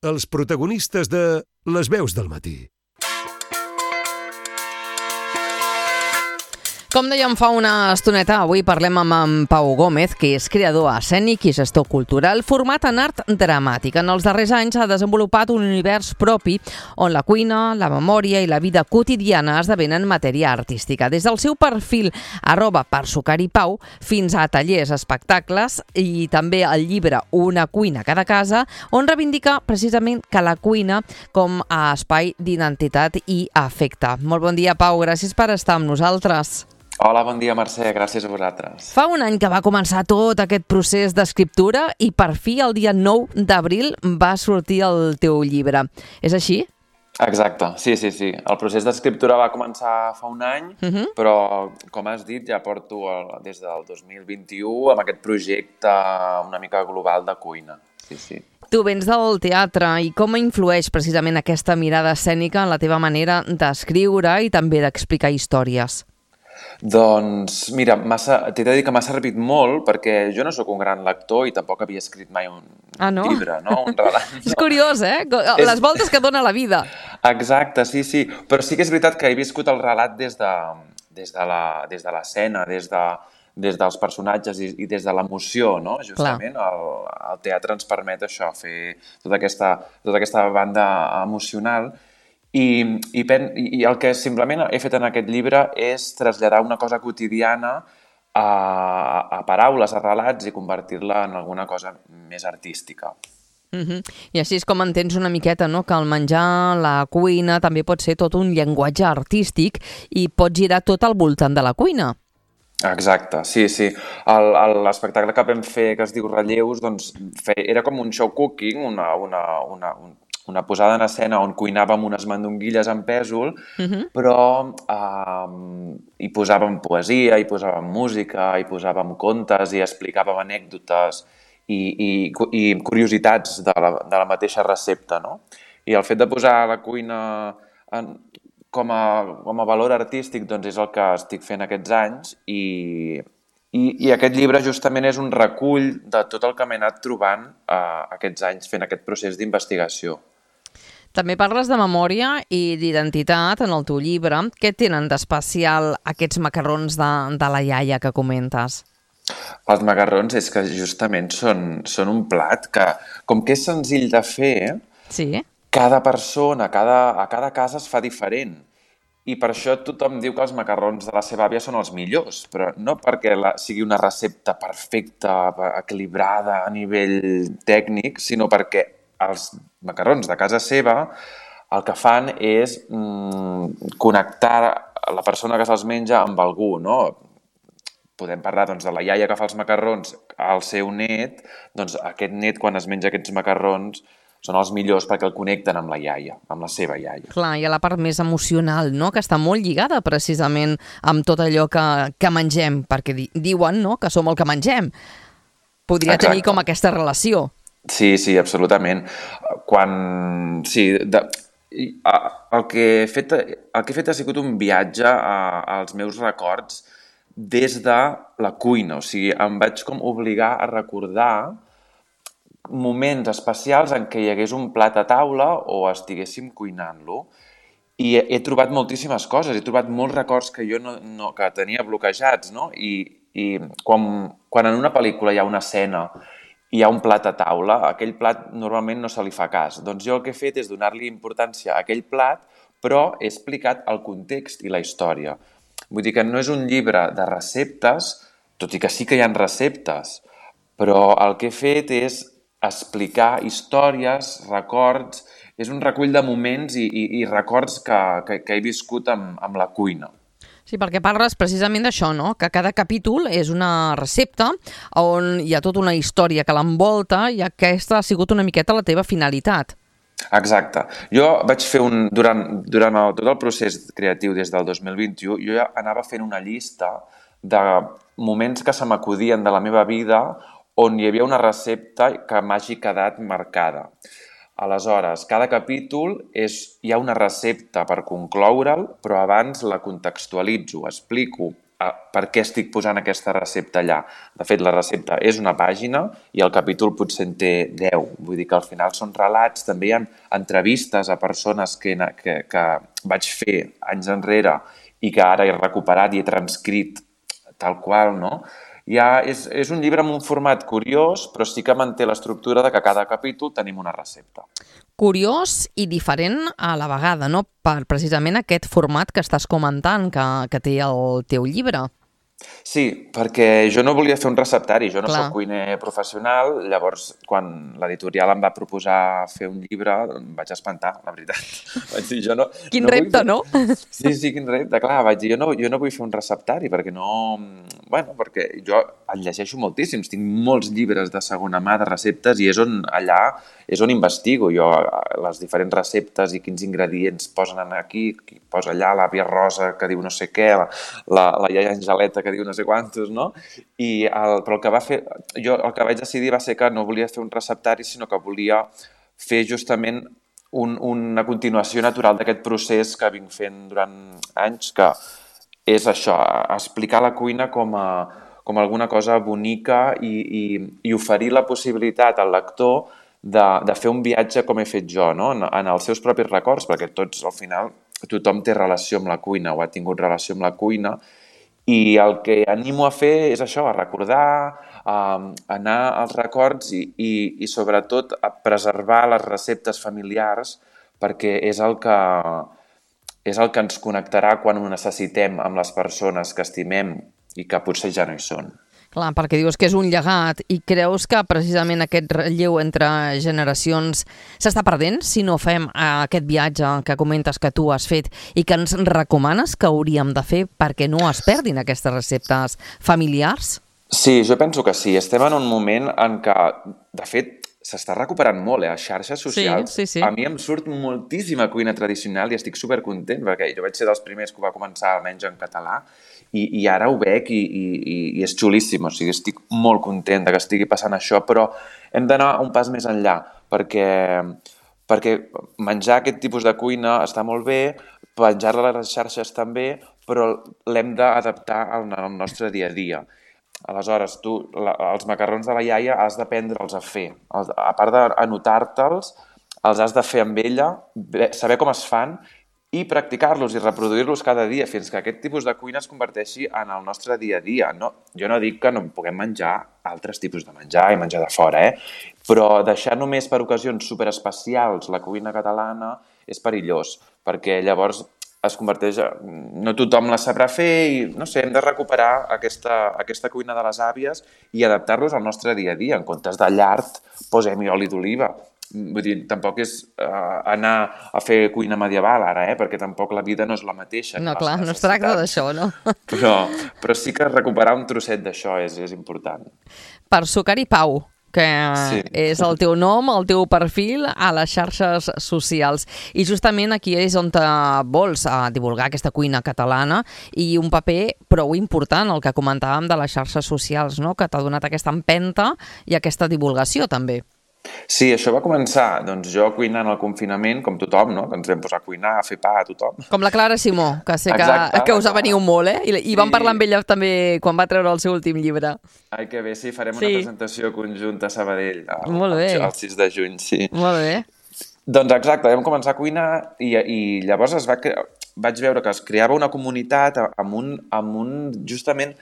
els protagonistes de Les veus del matí. Com dèiem fa una estoneta, avui parlem amb en Pau Gómez, que és creador escènic i gestor cultural format en art dramàtic. En els darrers anys ha desenvolupat un univers propi on la cuina, la memòria i la vida quotidiana esdevenen matèria artística. Des del seu perfil @persucaripau fins a tallers, espectacles i també el llibre Una cuina a cada casa, on reivindica precisament que la cuina com a espai d'identitat i afecte. Molt bon dia, Pau, gràcies per estar amb nosaltres. Hola, bon dia, Mercè, gràcies a vosaltres. Fa un any que va començar tot aquest procés d'escriptura i per fi el dia 9 d'abril va sortir el teu llibre. És així? Exacte, sí. El procés d'escriptura va començar fa un any, però, com has dit, ja porto des del 2021 amb aquest projecte una mica global de cuina. Sí. Tu vens del teatre i com influeix precisament aquesta mirada escènica en la teva manera d'escriure i també d'explicar històries? Doncs, mira, t'he de dir que m'ha servit molt perquè jo no sóc un gran lector i tampoc havia escrit mai un llibre, no? Un relat. No? És curiós, Les voltes que dona la vida. Exacte, sí. Però sí que és veritat que he viscut el relat des de l'escena, des dels personatges i des de l'emoció, no? Justament el teatre ens permet això, fer tota aquesta banda emocional. I el que simplement he fet en aquest llibre és traslladar una cosa quotidiana a paraules, a relats i convertir-la en alguna cosa més artística. I així és com entens una miqueta, no?, que el menjar, la cuina, també pot ser tot un llenguatge artístic i pot girar tot al voltant de la cuina. Exacte, sí. L'espectacle que vam fer, que es diu Relleus, doncs era com un show cooking, una posada en escena on cuinàvem unes mandonguilles en pèsol, però hi posàvem poesia, hi posàvem música, hi posàvem contes i explicàvem anècdotes i curiositats de la mateixa recepta, no? I el fet de posar la cuina com a valor artístic doncs és el que estic fent aquests anys i aquest llibre justament és un recull de tot el que m'he anat trobant aquests anys fent aquest procés d'investigació. També parles de memòria i d'identitat en el teu llibre. Què tenen d'especial aquests macarrons de la iaia que comentes? Els macarrons és que justament són un plat que, com que és senzill de fer, cada persona, a cada casa es fa diferent. I per això tothom diu que els macarrons de la seva àvia són els millors, però no perquè sigui una recepta perfecta, equilibrada a nivell tècnic, sinó perquè els macarrons de casa seva el que fan és connectar la persona que se'ls menja amb algú, no? Podem parlar doncs, de la iaia que fa els macarrons al seu net, doncs aquest net quan es menja aquests macarrons són els millors perquè el connecten amb la iaia, amb la seva iaia. Clar, hi ha la part més emocional, no?, que està molt lligada precisament amb tot allò que mengem, perquè diuen, no?, que som el que mengem. Podria tenir com aquesta relació. Sí, absolutament. El que he fet ha sigut un viatge als meus records des de la cuina. O sigui, em vaig com obligar a recordar moments especials en què hi hagués un plat a taula o estiguéssim cuinant-lo. I he trobat moltíssimes coses, he trobat molts records que jo que tenia bloquejats, no? I quan en una pel·lícula hi ha una escena hi ha un plat a taula, aquell plat normalment no se li fa cas. Doncs jo el que he fet és donar-li importància a aquell plat, però he explicat el context i la història. Vull dir que no és un llibre de receptes, tot i que sí que hi ha receptes, però el que he fet és explicar històries, records, és un recull de moments i records que he viscut amb la cuina. Sí, perquè parles precisament d'això, no?, que cada capítol és una recepta on hi ha tota una història que l'envolta i aquesta ha sigut una miqueta la teva finalitat. Exacte. Jo vaig fer durant tot el procés creatiu des del 2021, jo ja anava fent una llista de moments que se m'acudien de la meva vida on hi havia una recepta que m'hagi quedat marcada. Aleshores, cada capítol hi ha una recepta per concloure'l, però abans la contextualitzo, explico per què estic posant aquesta recepta allà. De fet, la recepta és una pàgina i el capítol potser en té 10. Vull dir que al final són relats, també hi ha entrevistes a persones que vaig fer anys enrere i que ara he recuperat i he transcrit tal qual, no? És un llibre amb un format curiós, però sí que manté l'estructura de que a cada capítol tenim una recepta. Curiós i diferent a la vegada, no? Per precisament aquest format que estàs comentant, que té el teu llibre. Sí, perquè jo no volia fer un receptari, jo no Clar. soc cuiner professional, llavors quan l'editorial em va proposar fer un llibre em vaig espantar, la veritat. Vaig dir, jo no... Quin repte, no? Sí, quin repte, clar, vaig dir, jo no vull fer un receptari perquè no... Bueno, perquè jo en llegeixo moltíssims, tinc molts llibres de segona mà de receptes i és on investigo jo les diferents receptes i quins ingredients posen aquí, qui posa allà, l'àvia Rosa que diu no sé què, la iaia Angeleta que diu no sé quantos, no? Però jo el que vaig decidir va ser que no volia fer un receptari, sinó que volia fer justament una continuació natural d'aquest procés que vinc fent durant anys, que és això, explicar la cuina com alguna cosa bonica i oferir la possibilitat al lector de fer un viatge com he fet jo, no? En els seus propis records, perquè tots, al final, tothom té relació amb la cuina o ha tingut relació amb la cuina, i el que animo a fer és això, a recordar, a anar als records i sobretot a preservar les receptes familiars perquè és el que ens connectarà quan ho necessitem amb les persones que estimem i que potser ja no hi són. Clar, perquè dius que és un llegat i creus que precisament aquest relleu entre generacions s'està perdent si no fem aquest viatge que comentes que tu has fet i que ens recomanes que hauríem de fer perquè no es perdin aquestes receptes familiars? Sí, jo penso que sí. Estem en un moment en què, de fet, s'està recuperant molt, a xarxes socials. Sí. A mi em surt moltíssima cuina tradicional i estic supercontent perquè jo vaig ser dels primers que ho va començar almenys en català i ara ho veig i és xulíssim, o sigui, estic molt content que estigui passant això, però hem d'anar un pas més enllà perquè menjar aquest tipus de cuina està molt bé, penjar-la a les xarxes també, però l'hem d'adaptar al nostre dia a dia. Aleshores, tu, els macarrons de la iaia has d'aprendre'ls a fer. A part d'anotar-te'ls, els has de fer amb ella, saber com es fan i practicar-los i reproduir-los cada dia fins que aquest tipus de cuina es converteixi en el nostre dia a dia. No, jo no dic que no puguem menjar altres tipus de menjar i menjar de fora, però deixar només per ocasions superespecials la cuina catalana és perillós, perquè llavors es converteix... No tothom la sabrà fer i, no sé, hem de recuperar aquesta cuina de les àvies i adaptar-los al nostre dia a dia. En comptes de llard, posem-hi oli d'oliva. Vull dir, tampoc és anar a fer cuina medieval ara, perquè tampoc la vida no és la mateixa. No, clar, no es tracta d'això, no? Però sí que recuperar un trosset d'això és important. Per Sucari Pau, que sí. És el teu nom, el teu perfil a les xarxes socials. I justament aquí és on vols divulgar aquesta cuina catalana i un paper prou important, el que comentàvem de les xarxes socials, no? Que t'ha donat aquesta empenta i aquesta divulgació també. Sí, això va començar, doncs jo cuinant al confinament, com tothom, no? Que ens vam posar a cuinar, a fer pa a tothom. Com la Clara Simó, que sé que us aveniu molt, I vam parlar amb ella també quan va treure el seu últim llibre. Ai, que bé, sí, farem una presentació conjunta a Sabadell el 6 de juny, sí. Molt bé. Doncs exacte, vam començar a cuinar i llavors vaig veure que es creava una comunitat amb un justament...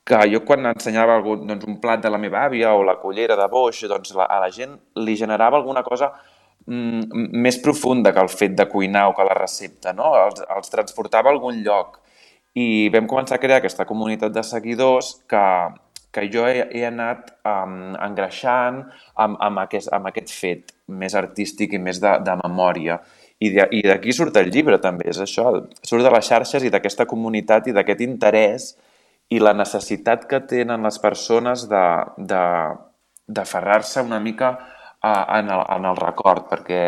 que jo quan ensenyava un plat de la meva àvia o la cullera de boix, doncs a la gent li generava alguna cosa més profunda que el fet de cuinar o que la recepta, no? Els transportava a algun lloc. I vam començar a crear aquesta comunitat de seguidors que jo he anat engreixant amb aquest fet més artístic i més de memòria. I d'aquí surt el llibre també, és això, surt de les xarxes i d'aquesta comunitat i d'aquest interès i la necessitat que tenen les persones d'aferrar-se una mica en el record, perquè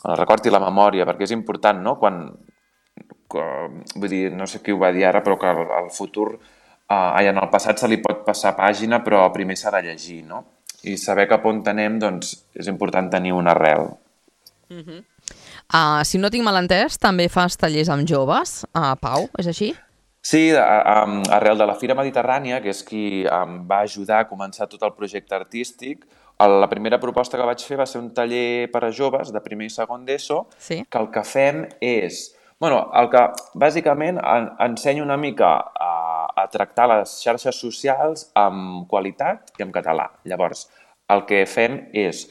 el record i la memòria, perquè és important, no? Vull dir, no sé qui ho va dir ara, però que al futur, en el passat se li pot passar pàgina, però primer s'ha de llegir, no? I saber cap on anem, doncs, és important tenir una arrel. Si no tinc mal entès, també fas tallers amb joves, Pau, és així? Sí, arrel de la Fira Mediterrània, que és qui em va ajudar a començar tot el projecte artístic, la primera proposta que vaig fer va ser un taller per a joves de primer i segon d'ESO, Sí. que el que fem és... bàsicament ensenyo una mica a tractar les xarxes socials amb qualitat i en català. Llavors, el que fem és...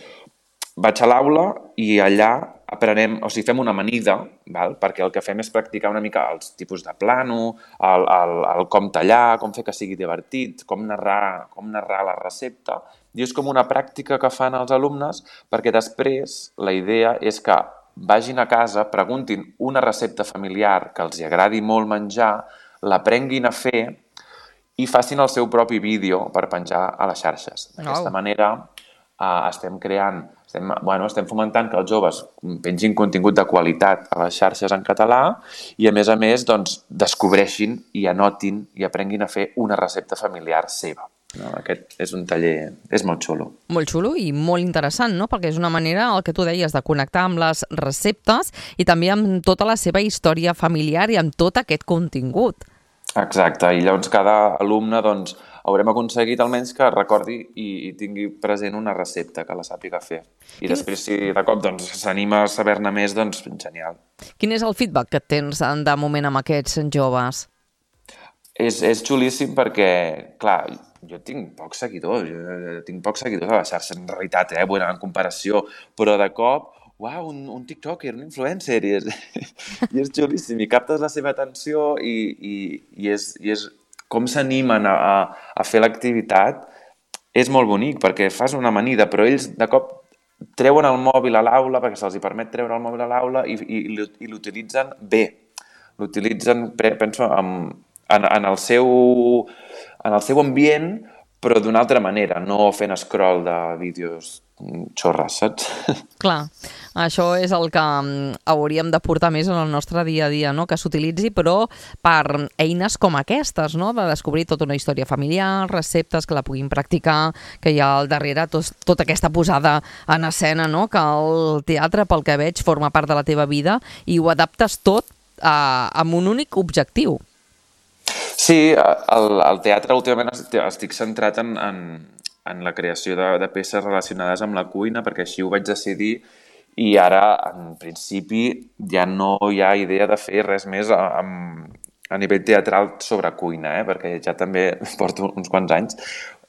Vaig a l'aula i allà aprenem, o sigui, fem una amanida, val? Perquè el que fem és practicar una mica els tipus de plano, el com tallar, com fer que sigui divertit, com narrar la recepta. I és com una pràctica que fan els alumnes perquè després la idea és que vagin a casa, preguntin una recepta familiar que els agradi molt menjar, l'aprenguin a fer i facin el seu propi vídeo per penjar a les xarxes. D'aquesta manera estem fomentant que els joves pengin contingut de qualitat a les xarxes en català i, a més, doncs, descobreixin i anotin i aprenguin a fer una recepta familiar seva. No? Aquest és un taller... És molt xulo. Molt xulo i molt interessant, no? Perquè és una manera, el que tu deies, de connectar amb les receptes i també amb tota la seva història familiar i amb tot aquest contingut. Exacte, i llavors cada alumne doncs, haurem aconseguit almenys que recordi i tingui present una recepta que la sàpiga fer. I després, si de cop s'anima a saber-ne més, doncs genial. Quin és el feedback que tens de moment amb aquests joves? És xulíssim perquè, clar, jo tinc pocs seguidors, a la xarxa en realitat, en comparació, però de cop, uau, un tiktoker, un influencer, i és xulíssim, i captes la seva atenció i és com s'animen a fer l'activitat, és molt bonic, perquè fas una amanida, però ells de cop treuen el mòbil a l'aula, perquè se'ls permet treure el mòbil a l'aula i l'utilitzen bé. L'utilitzen, penso, en el seu ambient, però d'una altra manera, no fent scroll de vídeos xorres, saps? Clar, això és el que hauríem de portar més en el nostre dia a dia, no? Que s'utilitzi, però per eines com aquestes, no? De descobrir tota una història familiar, receptes que la puguin practicar, que hi ha al darrere tota aquesta posada en escena, no? Que el teatre, pel que veig, forma part de la teva vida i ho adaptes tot amb un únic objectiu. Sí, al teatre últimament estic centrat en la creació de peces relacionades amb la cuina, perquè així ho vaig decidir i ara, en principi, ja no hi ha idea de fer res més a nivell teatral sobre cuina, perquè ja també porto uns quants anys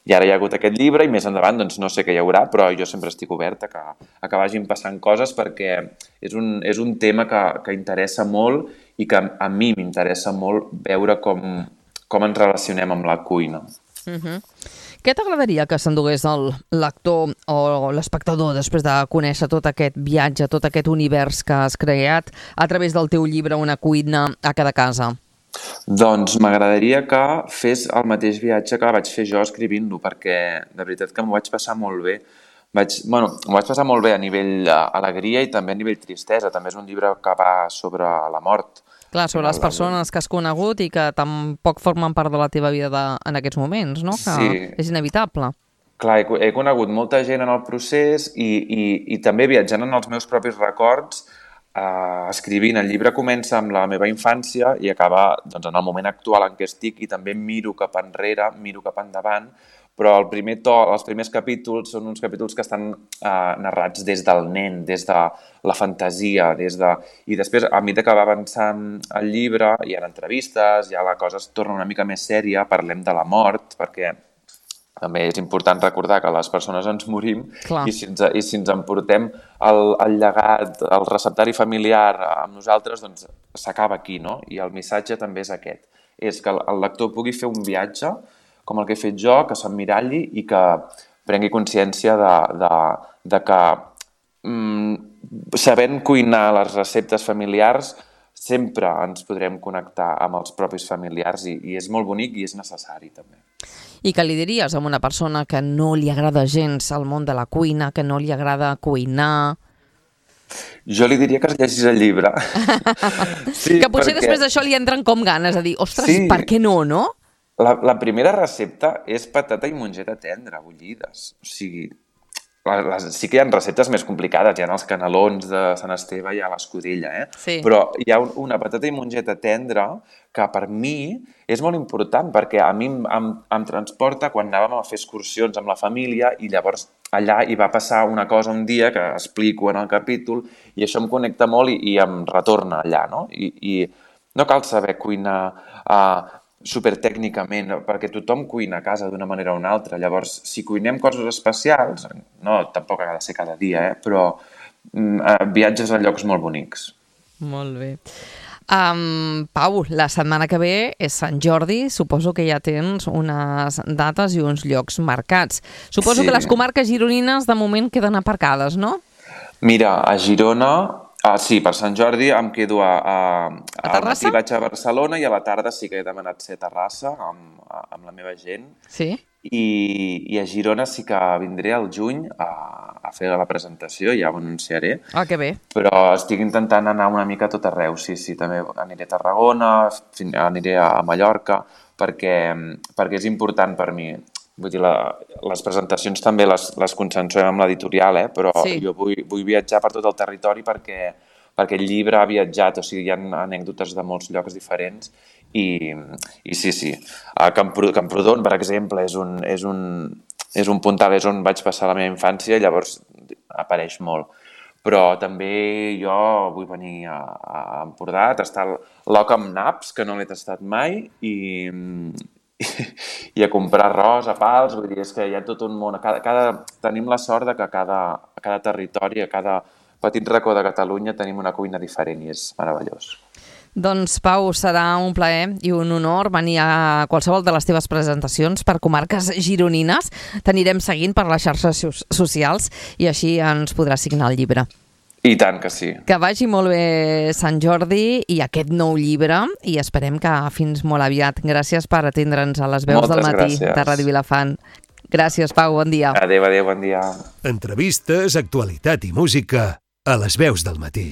i ara hi ha hagut aquest llibre i més endavant doncs no sé què hi haurà, però jo sempre estic obert a que vagin passant coses perquè és un tema que interessa molt i que a mi m'interessa molt veure com ens relacionem amb la cuina. Què t'agradaria que s'endugués el lector o l'espectador després de conèixer tot aquest viatge, tot aquest univers que has creat a través del teu llibre Una cuina a cada casa? Doncs m'agradaria que fes el mateix viatge que vaig fer jo escrivint-lo, perquè de veritat que m'ho vaig passar molt bé. M'ho vaig passar molt bé a nivell alegria i també a nivell tristesa. També és un llibre que va sobre la mort. Clar, sobre les persones que has conegut i que tampoc formen part de la teva vida en aquests moments, no? Que sí. És inevitable. Clar, he conegut molta gent en el procés i també viatjant en els meus propis records, escrivint. El llibre comença amb la meva infància i acaba en el moment actual en què estic i també miro cap enrere, miro cap endavant, però els primers capítols són uns capítols que estan narrats des del nen, des de la fantasia, i després, a mesura que va avançant el llibre, hi ha entrevistes, ja la cosa es torna una mica més sèria, parlem de la mort, perquè també és important recordar que les persones ens morim. Clar. I si ens emportem el llegat, el receptari familiar amb nosaltres, doncs s'acaba aquí, no? I el missatge també és aquest, és que el lector pugui fer un viatge com el que he fet jo, que s'emmiralli i que prengui consciència de que sabent cuinar les receptes familiars sempre ens podrem connectar amb els propis familiars i és molt bonic i és necessari també. I què li diries a una persona que no li agrada gens el món de la cuina, que no li agrada cuinar? Jo li diria que es llegís el llibre. Sí, que potser després d'això li entren com ganes de dir, ostres, sí. Per què no, no? La primera recepta és patata i mongeta tendra, bullides. O sigui, sí que hi ha receptes més complicades, hi ha els canelons de Sant Esteve i a l'escudella, Sí. Però hi ha una patata i mongeta tendra que per mi és molt important perquè a mi em transporta quan anàvem a fer excursions amb la família i llavors allà hi va passar una cosa un dia que explico en el capítol i això em connecta molt i em retorna allà, no? I no cal saber cuinar supertècnicament, perquè tothom cuina a casa d'una manera o una altra. Llavors, si cuinem coses especials, no, tampoc ha de ser cada dia, però viatges a llocs molt bonics. Molt bé. Pau, la setmana que ve és Sant Jordi, suposo que ja tens unes dates i uns llocs marcats. Suposo que les comarques gironines de moment queden aparcades, no? Mira, a Girona... sí, per Sant Jordi em quedo al matí vaig a Barcelona i a la tarda sí que he demanat ser a Terrassa amb la meva gent. Sí? I a Girona sí que vindré al juny a fer la presentació, ja ho anunciaré. Que bé. Però estic intentant anar una mica a tot arreu, sí, també aniré a Tarragona, aniré a Mallorca, perquè és important per mi. Vull dir, les presentacions també les consensuem amb l'editorial, però jo vull viatjar per tot el territori perquè el llibre ha viatjat, o sigui, hi ha anècdotes de molts llocs diferents i sí. Camprodon, per exemple, és un puntal, és on vaig passar la meva infància, llavors apareix molt. Però també jo vull venir a Empordà, a tastar l'oca amb naps, que no l'he tastat mai, i a comprar arròs a pals, vull dir, és que hi ha tot un món. Tenim la sort que a cada territori, a cada petit racó de Catalunya tenim una cuina diferent i és meravellós. Doncs, Pau, serà un plaer i un honor venir a qualsevol de les teves presentacions per comarques gironines. T'anirem seguint per les xarxes socials i així ens podràs signar el llibre. I tant que sí. Que vagi molt bé Sant Jordi i aquest nou llibre i esperem que fins molt aviat. Gràcies per atendre'ns a les veus del matí de Ràdio Vilafant. Gràcies, Pau, bon dia. Adéu, bon dia. Entrevistes, actualitat i música a les veus del matí.